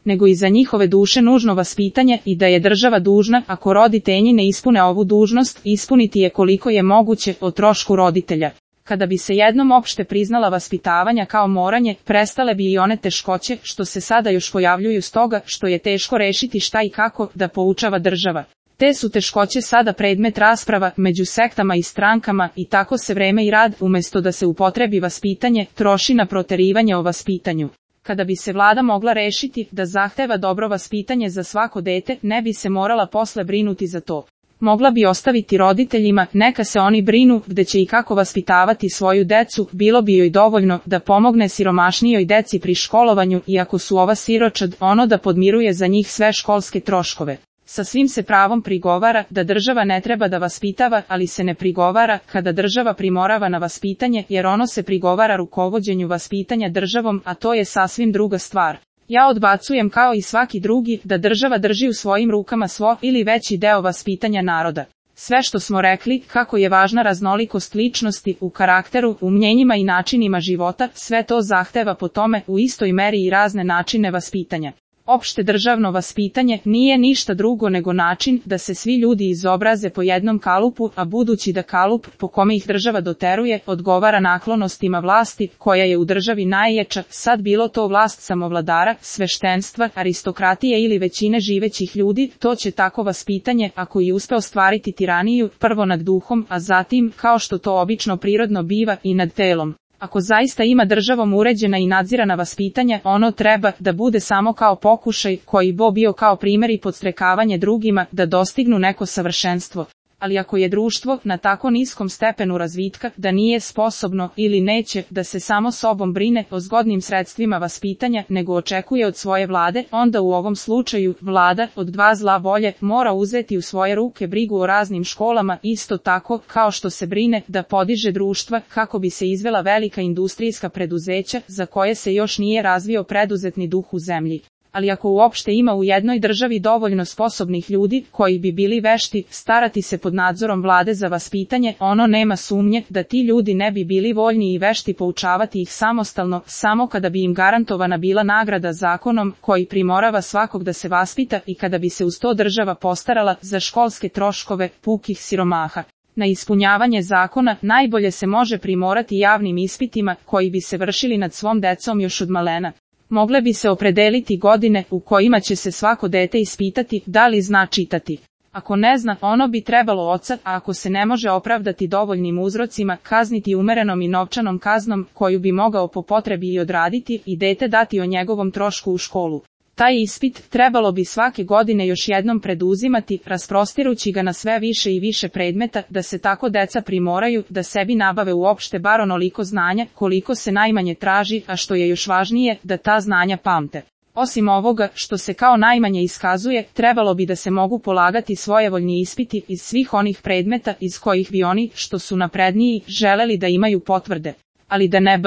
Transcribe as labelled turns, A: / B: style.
A: nego i za njihove duše nužno vaspitanje i da je država dužna, ako roditelji ne ispune ovu dužnost, ispuniti je koliko je moguće o trošku roditelja. Kada bi se jednom opšte priznala vaspitavanja kao moranje, prestale bi i one teškoće što se sada još pojavljuju stoga što je teško rešiti šta i kako da poučava država. Te su teškoće sada predmet rasprava među sektama i strankama i tako se vreme i rad, umesto da se upotrebi vaspitanje, troši na proterivanje o vaspitanju. Kada bi se vlada mogla rešiti da zahteva dobro vaspitanje za svako dete, ne bi se morala posle brinuti za to. Mogla bi ostaviti roditeljima, neka se oni brinu gde će i kako vaspitavati svoju decu, bilo bi joj dovoljno da pomogne siromašnijoj deci pri školovanju i ako su ova siročad, ono da podmiruje za njih sve školske troškove. Sa svim se pravom prigovara da država ne treba da vaspitava, ali se ne prigovara kada država primorava na vaspitanje, jer ono se prigovara rukovođenju vaspitanja državom, a to je sasvim druga stvar. Ja odbacujem kao i svaki drugi da država drži u svojim rukama svo ili veći deo vaspitanja naroda. Sve što smo rekli, kako je važna raznolikost ličnosti u karakteru, u mnjenjima i načinima života, sve to zahteva po tome u istoj meri i razne načine vaspitanja. Opšte državno vaspitanje nije ništa drugo nego način da se svi ljudi izobraze po jednom kalupu, a budući da kalup po kome ih država doteruje odgovara naklonostima vlasti koja je u državi najjača, sad bilo to vlast samovladara, sveštenstva, aristokratije ili većine živećih ljudi, to će tako vaspitanje, ako i uspe ostvariti tiraniju, prvo nad duhom, a zatim, kao što to obično prirodno biva, i nad telom. Ako zaista ima državom uređena i nadzirana vaspitanja, ono treba da bude samo kao pokušaj koji bi bio kao primjer i podstrekavanje drugima da dostignu neko savršenstvo. Ali ako je društvo na tako niskom stepenu razvitka da nije sposobno ili neće da se samo sobom brine o zgodnim sredstvima vaspitanja nego očekuje od svoje vlade, onda u ovom slučaju vlada od dva zla volje mora uzeti u svoje ruke brigu o raznim školama isto tako kao što se brine da podiže društva kako bi se izvela velika industrijska preduzeća za koje se još nije razvio preduzetni duh u zemlji. Ali ako uopšte ima u jednoj državi dovoljno sposobnih ljudi koji bi bili vešti starati se pod nadzorom vlade za vaspitanje, ono nema sumnje da ti ljudi ne bi bili voljni i vešti poučavati ih samostalno, samo kada bi im garantovana bila nagrada zakonom koji primorava svakog da se vaspita i kada bi se uz to država postarala za školske troškove pukih siromaha. Na ispunjavanje zakona najbolje se može primorati javnim ispitima koji bi se vršili nad svom decom još od malena. Mogle bi se opredeliti godine u kojima će se svako dete ispitati da li zna čitati. Ako ne zna, ono bi trebalo oca, a ako se ne može opravdati dovoljnim uzrocima, kazniti umerenom i novčanom kaznom koju bi mogao po potrebi i odraditi i dete dati o njegovom trošku u školu. Taj ispit trebalo bi svake godine još jednom preduzimati, rasprostirući ga na sve više i više predmeta, da se tako deca primoraju da sebi nabave uopšte bar onoliko znanja koliko se najmanje traži, a što je još važnije, da ta znanja pamte. Osim ovoga, što se kao najmanje iskazuje, trebalo bi da se mogu polagati svojevoljni ispiti iz svih onih predmeta iz kojih bi oni, što su napredniji, želeli da imaju potvrde. Ali da ne